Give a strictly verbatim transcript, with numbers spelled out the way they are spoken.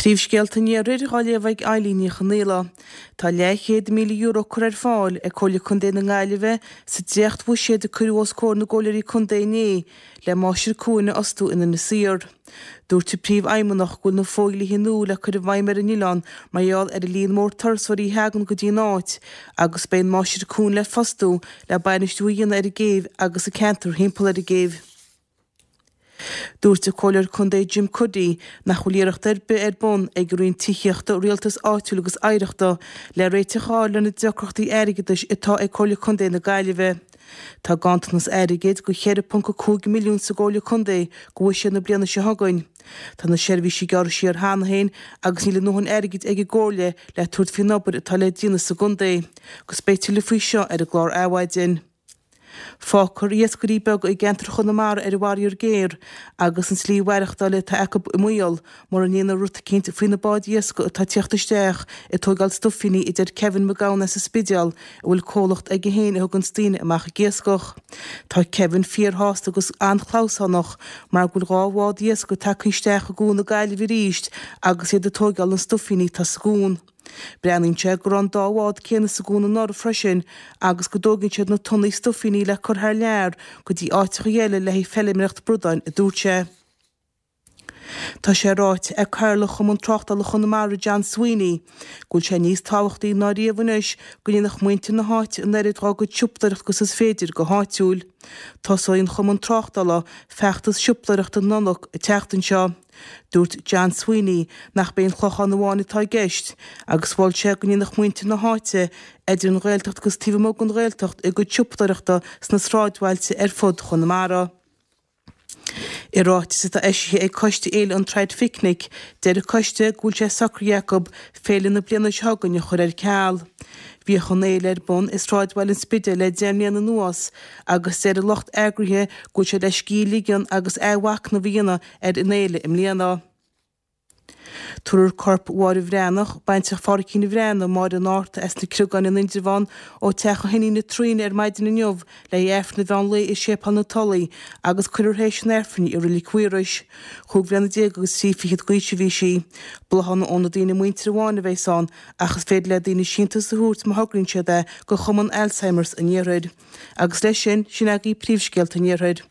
Príomhscéalta an Iarthair á léamh ag Eileen Ní Chonghaile. Tá leathchéad míle euro curtha ar fáil ag Comhairle Contae na Gaillimhe sa dréacht-bhuiséad a cuireadh os comhair na gcomhairleoirí contae inné le máistir cuain a fhostú in Inis Oírr. Dúirt an Príomhfheidhmeannach go bhfuil na fodhlíthe nua le cur i bhfeidhm ar an oileán mar gheall ar an líon mór turasóirí a thagann go dtí an áit agus beidh an máistir cuain le fostú le bainistiú a dhéanamh ar an gcéibh agus an ceantar thimpeall ar an gcéibh. Dúirt an Comhairleoir Contae Jim Cuddy nach bhfuil iarracht ar bith ar bun ag an Roinn Tithíochta, Rialtais Áitiúil agus Oidhreachta le réiteach a fháil le na deacrachtaí airgeadais atá ag Comhairle Contae na Gaillimhe. Tá ganntanas airgid go cheithre ponc a cúig milliún sa gComhairle Contae go bhfuil sé na bliana seo chugainn. Tá na seirbhísí gearrtha siar cheana féin agus níl a ndóthain airgid ag an gComhairle le tabhairt faoin obair atá le déanamh sa gcontae, agus beidh tuilleadh faoi seo ar an gclár Adhmhaidin. Fágfar iascairí beaga i gceantar Chonamara ar an bhfaraor géar agus an tslí mhaireachtála atá acu i mbaol mura ndéantar rud eicínt faoi na báid iascaigh atá ag teacht isteach ag tógáil stuifíní a deir Kevin Mac Gabhann as an Spidéal a bhfuil comhlacht aige féin a thuganns daoine amach ag iascach. Tá Kevin fíorshásta agus an-chlamhsánach mar go bhfuil dhá bhád iascaigh tagtha isteach i gCuan na Gaillimhe arís agus iad ag tógáil na stuifíní atá sa gcuan. Breathnaíonn sé go raibh an dá bhád céanna sa gcuan anuraidh freisin agus go dtógann siad na tonnaí stuifíní le cur thar lear go dtí áiteacha eile le haghaidh feilméireacht bradáin, a dúirt sé. Tá sé ráite ag Cathaoirleach Chumann Tráchtála Chonamara John Sweeney go bhfuil sé níos tábhachtaí ná riamh anois go ndéanfadh muintir na háite an oiread dá gcuid siopadóireachta agus is féidir go háitiúil. Tosóidh an Chumann Tráchtála feachtas siopadóireachta Nollag an tseachtain seo. Dúirt John Sweeney nach b'é an Clochán amháin atá i gceist agus mhol sé go ndéanfadh muintir na háite, idir an Ghaeltacht agus taobh amuigh den Ghaeltacht, a gcuid siopadóireachta sna sráidbhailte ar fud Chonamara. I ráiteas atá eisithe ag Coiste Fhéile an Traidphicnic, deir an coiste go bhfuil sé socraithe acu féile na bliana seo chugainn a chur ar ceal. Bhíodh an fhéile ar bun i sráidbhaile an Spidéil le deich mbliana anuas agus deir an lucht eagraithe go bhfuil sé le scíth a ligean agus athmhachnamh a dhéanamh ar an fhéile i mbliana. Tabharfar corp Mháire Bhreathnach, baintreach Phádraicín Bhreathnaigh, Máire an Fhárta as na Criogáin in Indreabhán, ó teach a hiníne Tríona ar maidin inniu le haghaidh Aifreann an mheán lae i Séipéal na Tulaí agus cuirfear théis an Aifrinn í i Reilig Mhaorais. Chúig bhliana déag agus trí fichead d'aois a bhí sí. Bláthanna ó na daoine muinteartha amháin a bheas ann ach is féidir le daoine síntiús a thabhairt má thograíonn siad é go Chumann Alzheimer's an Iarthair. Agus leis sin, sin agaibh príomhscéalta an Iarthair.